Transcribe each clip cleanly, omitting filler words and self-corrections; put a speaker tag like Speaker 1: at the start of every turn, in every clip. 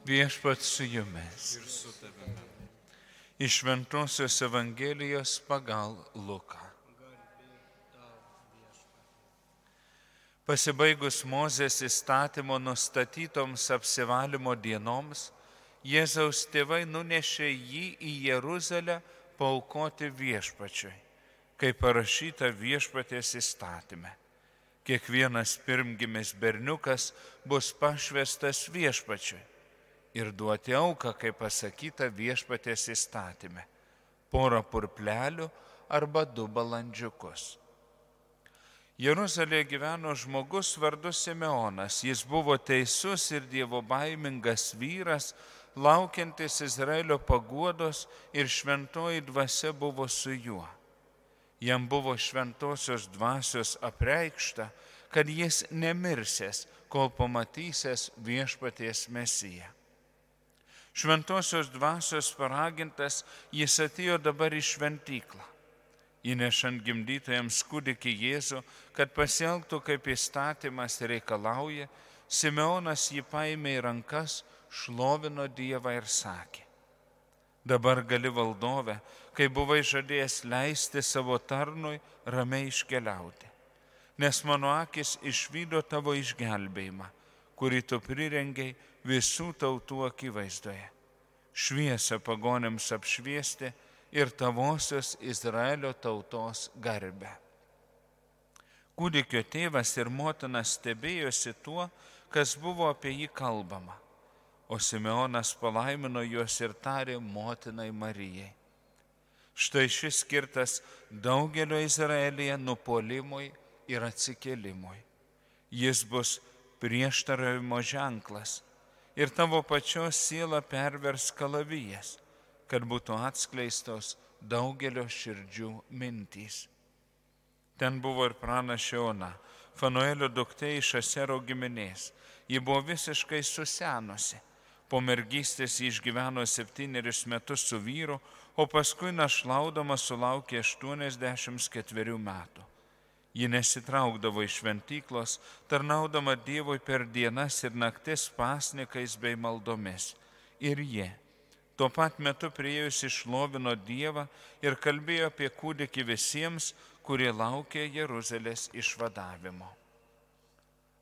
Speaker 1: Viešpats su jumis.
Speaker 2: Ir su tavimi.
Speaker 1: Iš Šventosios Evangelijos pagal Luką. Pasibaigus Mozės įstatymo nustatytoms apsivalymo dienoms, Jėzaus tėvai nunešė jį į Jeruzalę paaukoti viešpačiui, kaip parašyta viešpaties įstatyme. Kiekvienas pirmgimis berniukas bus pašvestas viešpačiui ir duoti auką, kaip pasakyta viešpaties įstatyme, porą purplelių arba 2 balandžiukus. Jeruzalėje gyveno žmogus vardu Simeonas. Jis buvo teisus ir dievobaimingas vyras, laukiantis Izraelio paguodos, ir šventoji dvasia buvo su juo. Jam buvo šventosios dvasios apreikšta, kad jis nemirsės, kol pamatysės viešpaties Mesiją. Šventosios dvasios paragintas, jis atėjo dabar į šventyklą, įnešant gimdytojams kūdikį Jėzų, kad pasielgtų kaip įstatymas reikalauja. Simeonas jį paėmė į rankas, šlovino Dievą ir sakė: dabar gali, valdove, kai buvai žadėjęs leisti savo tarnui ramiai iškeliauti, nes mano akis išvydo tavo išgelbėjimą, kurį tu prirengiai visų tautų akivaizdoje, šviesą pagonėms apšviesti ir tavosios Izraelio tautos garbę. Kūdikio tėvas ir motina stebėjosi tuo, kas buvo apie jį kalbama, o Simeonas palaimino juos ir tarė motinai Marijai: štai šis skirtas daugelio Izraelyje nupuolimui ir atsikėlimui. Jis bus prieštaravimo ženklas ir tavo pačios sielą pervers kalavijas, kad būtų atskleistos daugelio širdžių mintys. Ten buvo ir pranašė Ona, Fanuelio duktė iš Asero giminės. Ji buvo visiškai susenusi. Po mergystės ji išgyveno 7 metus su vyru, o paskui našlaudama sulaukė 84 metų. Ji nesitraukdavo iš šventyklos, tarnaudama Dievui per dienas ir naktis pasnikais bei maldomis. Ir jie tuo pat metu priėjusi šlovino Dievą ir kalbėjo apie kūdikį visiems, kurie laukė Jeruzalės išvadavimo.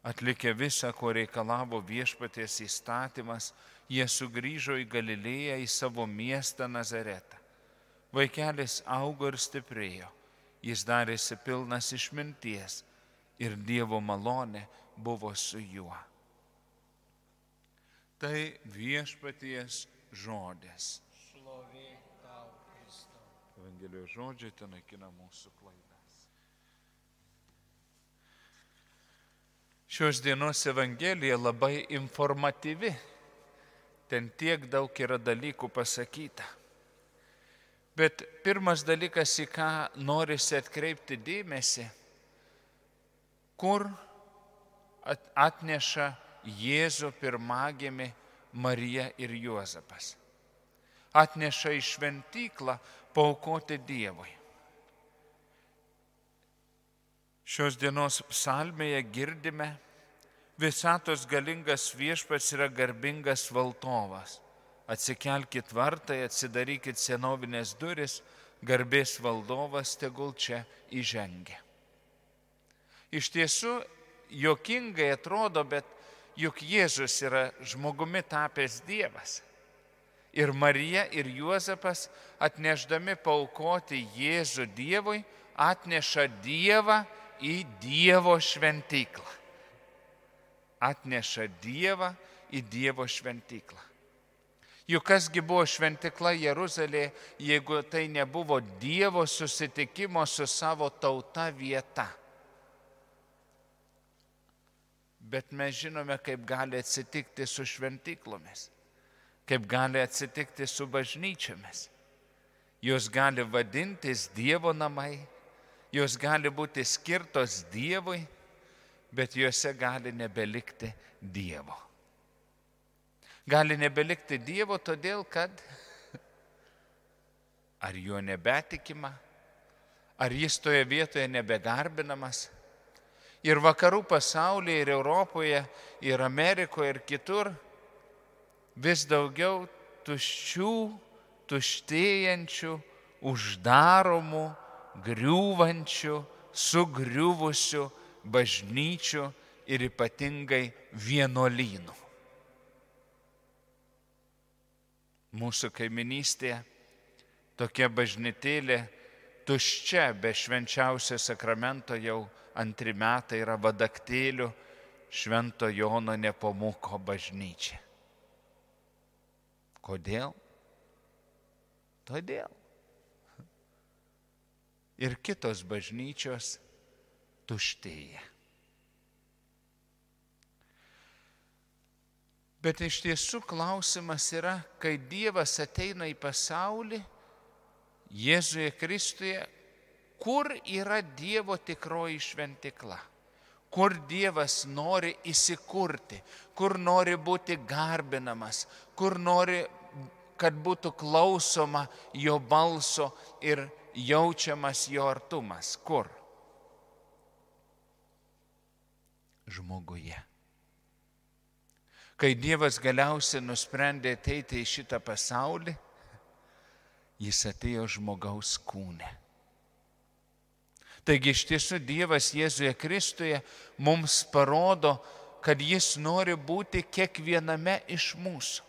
Speaker 1: Atlikę visą, ko reikalavo viešpaties įstatymas, jie sugrįžo į Galilėją, į savo miestą Nazaretą. Vaikelis augo ir stiprėjo, jis darėsi pilnas išminties ir Dievo malonė buvo su juo. Tai viešpaties žodis.
Speaker 2: Šlovė tau, Kristau.
Speaker 1: Evangelijos žodžiai ten naikina mūsų klaidas. Šios dienos Evangelija labai informatyvi. Ten tiek daug yra dalykų pasakyta. Bet pirmas dalykas, į ką norisi atkreipti dėmesį, kur atneša Jėzų pirmagimį Marija ir Juozapas. Atneša į šventyklą paaukoti Dievui. Šios dienos psalmėje girdime: visatos galingas viešpats yra garbingas valdovas. Atsikelkit vartai, atsidarykit senovinės duris, garbės valdovas tegul čia įžengia. Iš tiesų, juokingai atrodo, bet juk Jėzus yra žmogumi tapęs Dievas. Ir Marija ir Juozapas, atnešdami paaukoti Jėzų Dievui, atneša Dievą į Dievo šventyklą. Atneša Dievą į Dievo šventyklą. Juk kasgi buvo šventykla Jeruzalėje, jeigu tai nebuvo Dievo susitikimo su savo tauta vieta. Bet mes žinome, kaip gali atsitikti su šventyklomis, kaip gali atsitikti su bažnyčiomis. Jos gali vadintis Dievo namai, jos gali būti skirtos Dievui, bet juose gali nebelikti Dievo. Gali nebelikti Dievo todėl, kad ar juo nebetikima, ar jis toje vietoje nebegarbinamas. Ir vakarų pasaulyje, ir Europoje, ir Amerikoje, ir kitur vis daugiau tuščių, tuštėjančių, uždaromų, griūvančių, sugriuvusių bažnyčių ir ypatingai vienuolynų. Mūsų kaiminystėje tokia bažnytėlė tuščia, be švenčiausio sakramento jau 2 metai yra Vadaktėlių Švento Jono Nepomuko bažnyčia. Kodėl? Todėl. Ir kitos bažnyčios tuštėja. Bet iš tiesų klausimas yra, kai Dievas ateina į pasaulį, Jėzuje Kristuje, kur yra Dievo tikroji šventykla? Kur Dievas nori įsikurti, kur nori būti garbinamas, kur nori, kad būtų klausoma jo balso ir jaučiamas jo artumas. Kur? Žmoguje. Kai Dievas galiausiai nusprendė ateiti į šitą pasaulį, jis atėjo žmogaus kūne. Taigi iš tiesų Dievas Jėzuje Kristuje mums parodo, kad jis nori būti kiekviename iš mūsų.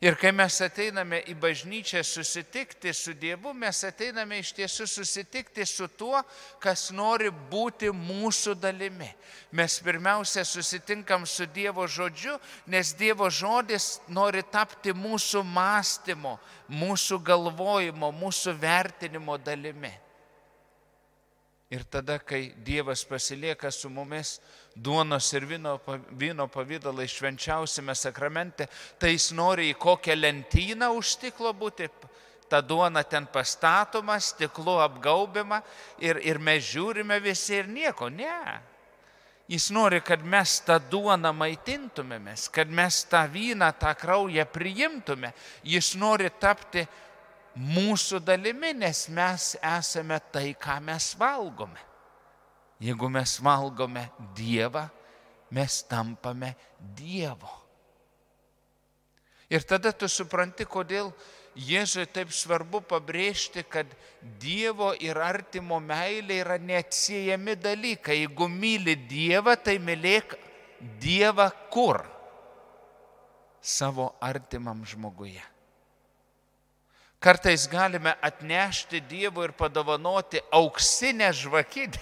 Speaker 1: Ir kai mes ateiname į bažnyčią susitikti su Dievu, mes ateiname iš tiesų susitikti su tuo, kas nori būti mūsų dalimi. Mes pirmiausia susitinkam su Dievo žodžiu, nes Dievo žodis nori tapti mūsų mąstymo, mūsų galvojimo, mūsų vertinimo dalimi. Ir tada, kai Dievas pasilieka su mumis duonos ir vyno pavydalai švenčiausiame sakramente, tai jis nori į kokią lentyną už stiklo būti, ta duona ten pastatoma, stiklu apgaubima ir mes žiūrime visi ir nieko, ne. Jis nori, kad mes tą duoną maitintumėmės, kad mes tą vyną, tą kraują priimtume. Jis nori tapti mūsų dalimi, nes mes esame tai, ką mes valgome. Jeigu mes valgome Dievą, mes tampame Dievo. Ir tada tu supranti, kodėl Jėzui taip svarbu pabrėžti, kad Dievo ir artimo meilė yra neatsiejami dalykai. Jeigu myli Dievą, tai mylėk Dievą kur? Savo artimam žmoguje. Kartais galime atnešti Dievui ir padovanoti auksinę žvakidę,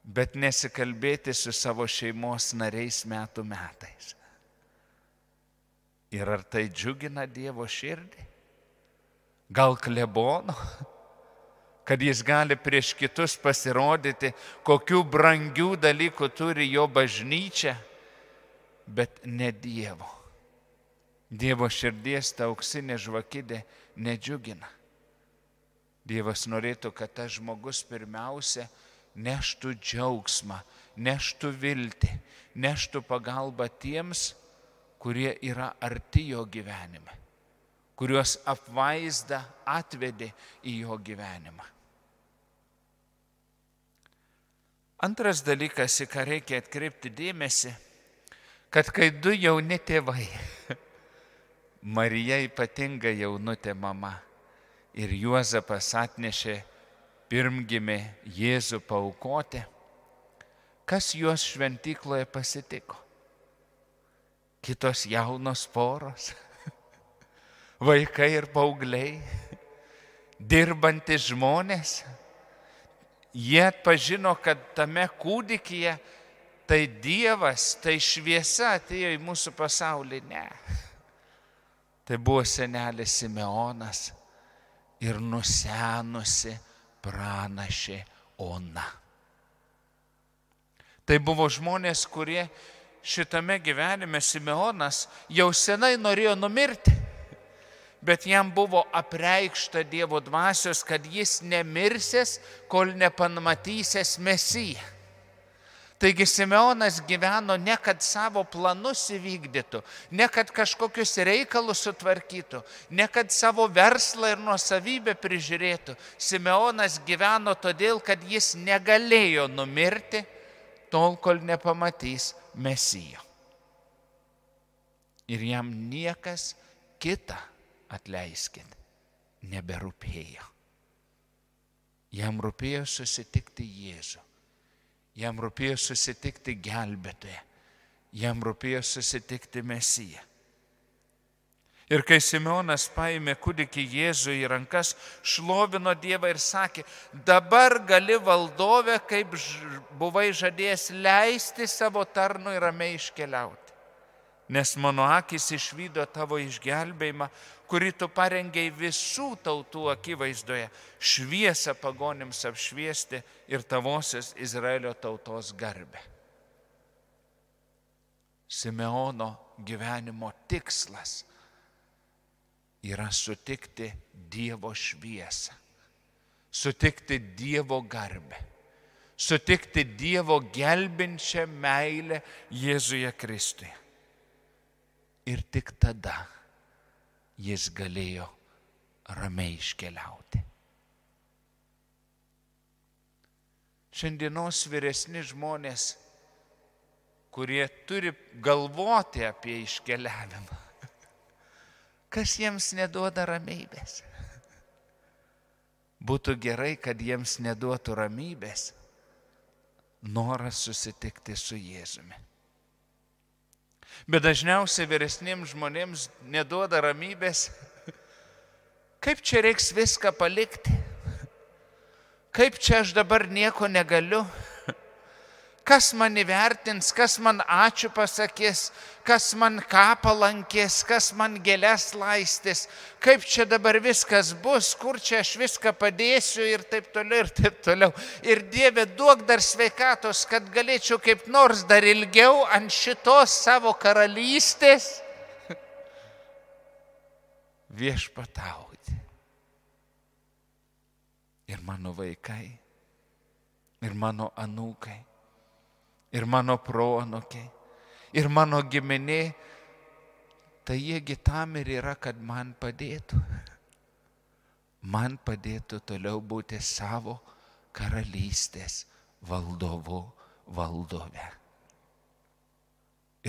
Speaker 1: bet nesikalbėti su savo šeimos nariais metų metais. Ir ar tai džiugina Dievo širdį? Gal klebono, kad jis gali prieš kitus pasirodyti, kokių brangių dalykų turi jo bažnyčia, bet ne Dievo. Dievo širdies ta auksinė žvakidė nedžiugina. Dievas norėtų, kad tas žmogus pirmiausia neštų džiaugsmą, neštų viltį, neštų pagalbą tiems, kurie yra arti jo gyvenime, kuriuos apvaizda atvedė į jo gyvenimą. Antras dalykas, į ką reikia atkreipti dėmesį, kad kai du jauni tėvai, Marija ypatinga jaunutė mama ir Juozapas atnešė pirmgimį Jėzų paaukoti, kas juos šventykloje pasitiko? Kitos jaunos poros, vaikai ir paaugliai, dirbantis žmonės. Jie atpažino, kad tame kūdikyje tai Dievas, tai šviesa atėjo į mūsų pasaulį. Ne. Tai buvo senelis Simeonas ir nusenusi pranašė Ona. Tai buvo žmonės, kurie šitame gyvenime, Simeonas jau senai norėjo numirti, bet jam buvo apreikšta Dievo dvasios, kad jis nemirsės, kol nepamatysės Mesiją. Taigi Simeonas gyveno ne kad savo planus įvykdytų, ne kad kažkokius reikalus sutvarkytų, ne kad savo verslą ir nuosavybę prižiūrėtų. Simeonas gyveno todėl, kad jis negalėjo numirti, tol kol nepamatys Mesijo. Ir jam niekas kita, atleiskit, neberūpėjo. Jam rūpėjo susitikti Jėzų. Jam rūpėjo susitikti gelbėtoją. Jam rūpėjo susitikti Mesiją. Ir kai Simeonas paėmė kūdikį Jėzų į rankas, šlovino Dievą ir sakė, dabar gali valdove, kaip buvai žadėjęs, leisti savo tarnui ramiai iškeliauti. Nes mano akis išvydo tavo išgelbėjimą, kurį tu parengei visų tautų akivaizdoje, šviesą pagonims apšviesti ir tavosios Izraelio tautos garbę. Simeono gyvenimo tikslas yra sutikti Dievo šviesą, sutikti Dievo garbę, sutikti Dievo gelbinčią meilę Jėzuje Kristuje. Ir tik tada jis galėjo ramiai iškeliauti. Šiandienos vyresni žmonės, kurie turi galvoti apie iškeliavimą, kas jiems neduoda ramybės? Būtų gerai, kad jiems neduotų ramybės noras susitikti su Jėzumi. Bet dažniausiai vyresniems žmonėms neduoda ramybės, kaip čia reiks viską palikti, kaip čia aš dabar nieko negaliu, kas man įvertins, kas man ačiū pasakys, kas man ką palankės, kas man gėles laistys, kaip čia dabar viskas bus, kur čia aš viską padėsiu ir taip toliau, ir taip toliau. Ir Dieve, duok dar sveikatos, kad galėčiau kaip nors dar ilgiau ant šitos savo karalystės viešpatauti. Ir mano vaikai, ir mano anūkai, ir mano proanūkiai, ir mano giminė, tai jiegi tam ir yra, kad man padėtų. Man padėtų toliau būti savo karalystės valdovu, valdove.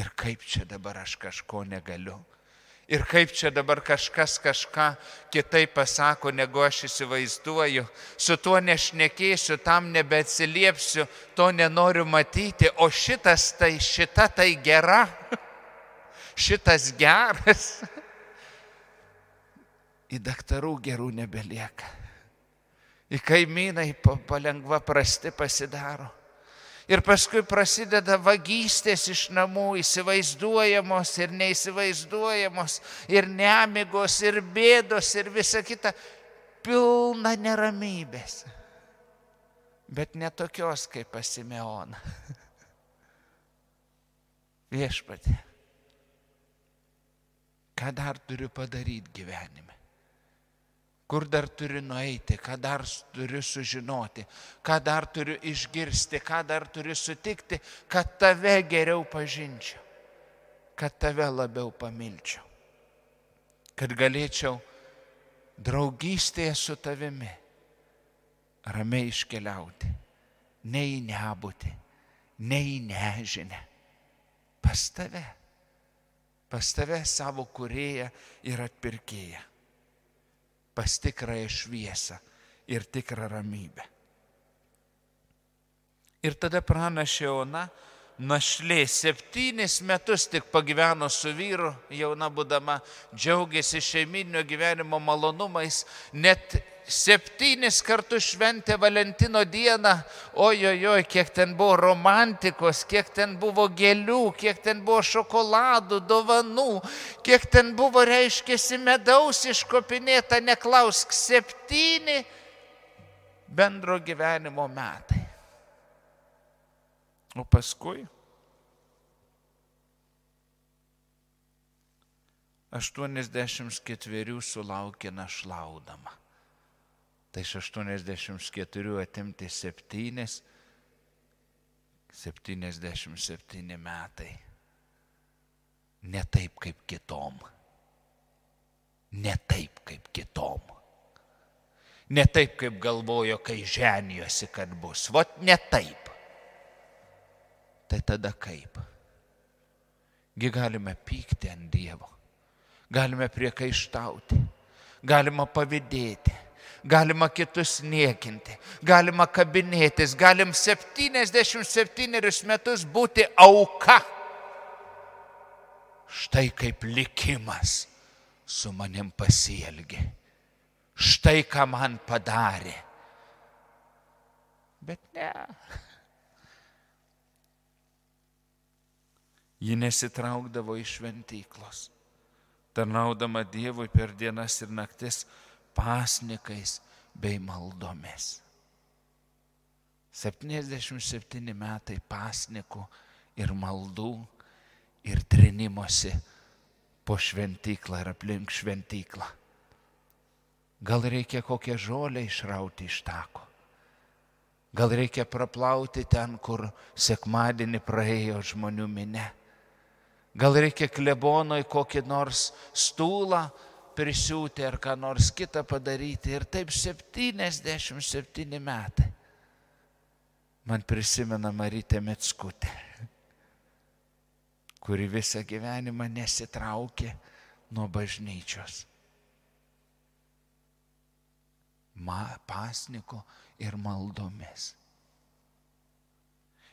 Speaker 1: Ir kaip čia dabar aš kažko negaliu. Ir kaip čia dabar kažkas kažką kitaip pasako, negu aš įsivaizduoju. Su tuo nešnekėsiu, tam nebeatsiliepsiu, to nenoriu matyti. O šita tai gera, šitas geras. Į daktarų gerų nebelieka. Į kaimynai palengva prasti pasidaro. Ir paskui prasideda vagystės iš namų, įsivaizduojamos ir neįsivaizduojamos, ir nemigos, ir bėdos, ir visa kita, pilna neramybės. Bet ne tokios kaip pas Simeoną. Viešpatie, ką dar turiu padaryti gyvenime? Kur dar turiu nueiti, ką dar turiu sužinoti, ką dar turiu išgirsti, ką dar turiu sutikti, kad tave geriau pažinčiau, kad tave labiau pamilčiau, kad galėčiau draugystėje su tavimi ramiai iškeliauti, ne į nebūtį, ne į nežinę, pas tave savo kūrėją ir atpirkėją. Pas tikrąją šviesą ir tikrą ramybę. Ir tada pranašė Ona, našlė, 7 metus tik pagyveno su vyru, jauna būdama, džiaugiasi šeiminio gyvenimo malonumais, net 7 kartus šventė Valentino dieną, ojojoj, kiek ten buvo romantikos, kiek ten buvo gėlių, kiek ten buvo šokoladų, dovanų, kiek ten buvo, reiškėsi, medaus iškopinėta, neklausk, 7 bendro gyvenimo metai. O paskui 84 sulaukė našlaudama. Tai iš 84 atimti 7, 77 metai. Ne taip kaip kitom. Ne taip kaip kitom. Ne taip kaip galvojo, kai ženijosi, kad bus. Vot ne taip. Tai tada kaip? galime pykti ant Dievo, galime priekaištauti, galima pavydėti, galima kitus niekinti, galima kabinėtis, galim 77 metus būti auka. Štai kaip likimas su manim pasielgė. Štai ką man padarė. Bet ne. Ji nesitraukdavo iš šventyklos, tarnaudama Dievui per dienas ir naktis pasnikais bei maldomis. 77 metai pasnikų ir maldų ir trinimosi po šventyklą ir aplink šventyklą. Gal reikia kokią žolę išrauti iš tako. Gal reikia praplauti ten, kur sekmadienį praėjo žmonių minia. Gal reikia klebonui kokį nors stulą prisiūti ar ką nors kitą padaryti. Ir taip 77 metai. Man prisimena Marytė Mickutė, kuri visą gyvenimą nesitraukė nuo bažnyčios. Pasniko ir maldomis.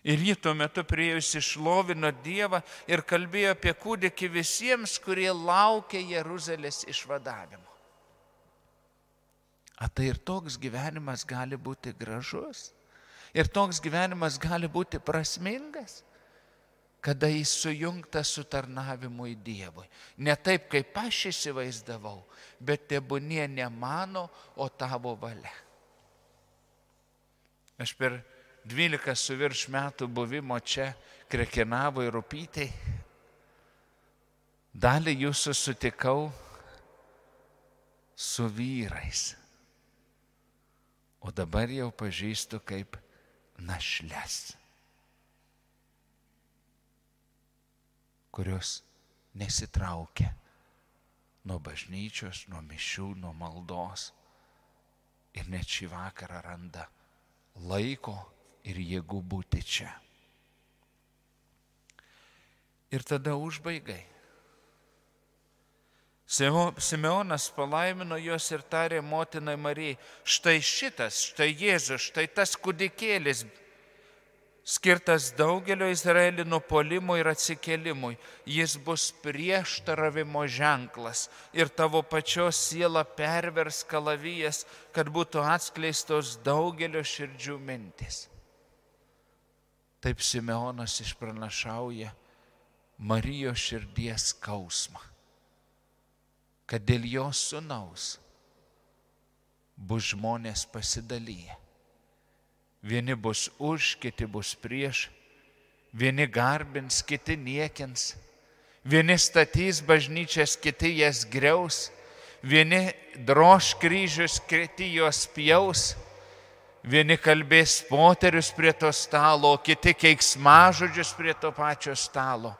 Speaker 1: Ir ji tuo metu priėjusi šlovino Dievą ir kalbėjo apie kūdikį visiems, kurie laukia Jeruzalės išvadavimo. A tai ir toks gyvenimas gali būti gražus. Ir toks gyvenimas gali būti prasmingas, kada jis sujungtas su tarnavimu į Dievui. Ne taip, kaip aš įsivaizdavau, bet tebūnie ne mano, o tavo valia. Aš per 12 su virš metų buvimo čia Krekenavoj ir Rupytėj dalį jūsų sutikau su vyrais, o dabar jau pažįstu kaip našles, kurios nesitraukia nuo bažnyčios, nuo mišių, nuo maldos ir net šį vakarą randa laiko ir jėgų būti čia. Ir tada užbaigai. Simeonas palaimino juos ir tarė motinai Marijai, štai šitas, štai Jėzus, štai tas kūdikėlis, skirtas daugelio Izraelio nupuolimui ir atsikėlimui. Jis bus prieštaravimo ženklas ir tavo pačios siela pervers kalavijas, kad būtų atskleistos daugelio širdžių mintis. Taip Simeonas išpranašauja Marijos širdies skausmą, kad dėl jos sūnaus bus žmonės pasidalyję. Vieni bus už, kiti bus prieš, vieni garbins, kiti niekins, vieni statys bažnyčias, kiti jas griaus, vieni droš kryžius, kiti juos pjaus, vieni kalbės poterius prie to stalo, kiti keiksmažodžius prie to pačio stalo.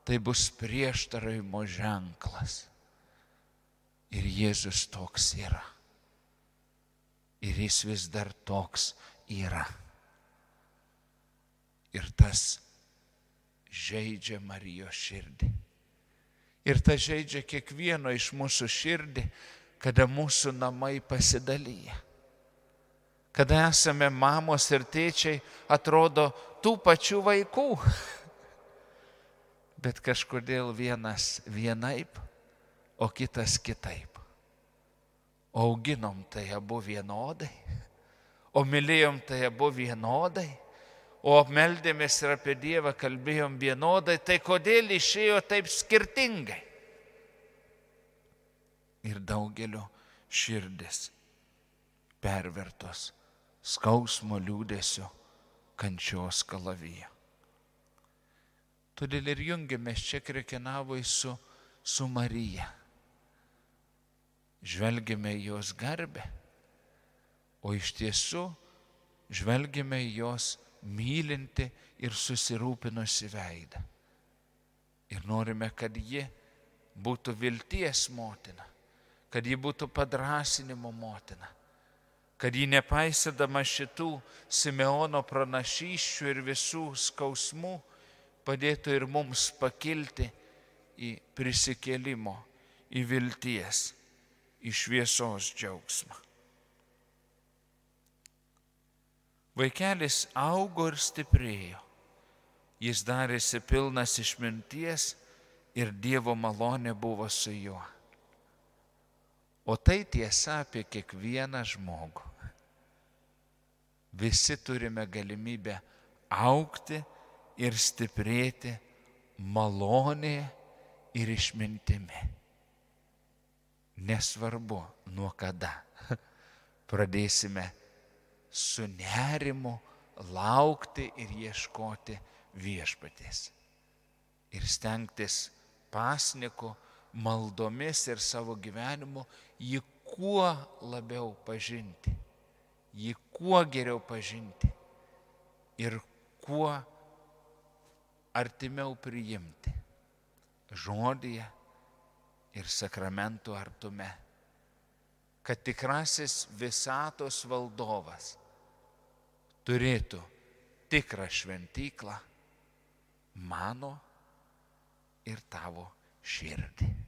Speaker 1: Tai bus prieštaravimo ženklas. Ir Jėzus toks yra. Ir jis vis dar toks yra. Ir tas žeidžia Marijos širdį. Ir tas žeidžia kiekvieno iš mūsų širdį, kada mūsų namai pasidalyja. Kada esame mamos ir tėčiai, atrodo tų pačių vaikų. Bet kažkodėl vienas vienaip, o kitas kitaip. O auginom tai abu vienodai, o mylėjom tai abu vienodai, o meldėmės ir apie Dievą kalbėjom vienodai, tai kodėl išėjo taip skirtingai? Ir daugelio širdis pervertos skausmo, liūdesio, kančios kalavijo. Todėl ir jungiamės čia Krekenavoj su Marija. Žvelgiame į jos garbę, o iš tiesų žvelgiame į jos mylinti ir susirūpinusi veidą. Ir norime, kad ji būtų vilties motina, kad ji būtų padrąsinimo motina, kad ji nepaisydama šitų Simeono pranašysčių ir visų skausmų padėtų ir mums pakilti į prisikėlimo, į vilties, į šviesos džiaugsmą. Vaikelis augo ir stiprėjo. Jis darėsi pilnas išminties ir Dievo malonė buvo su juo. O tai tiesa apie kiekvieną žmogų. Visi turime galimybę augti ir stiprėti malonėje ir išmintimi. Nesvarbu, nuo kada pradėsime su nerimu laukti ir ieškoti viešpaties. Ir stengtis pasniku, maldomis ir savo gyvenimu jį kuo labiau pažinti, jį kuo geriau pažinti ir kuo artimiau priimti žodyje ir sakramentų artume, kad tikrasis visatos valdovas turėtų tikrą šventyklą mano ir tavo širdį.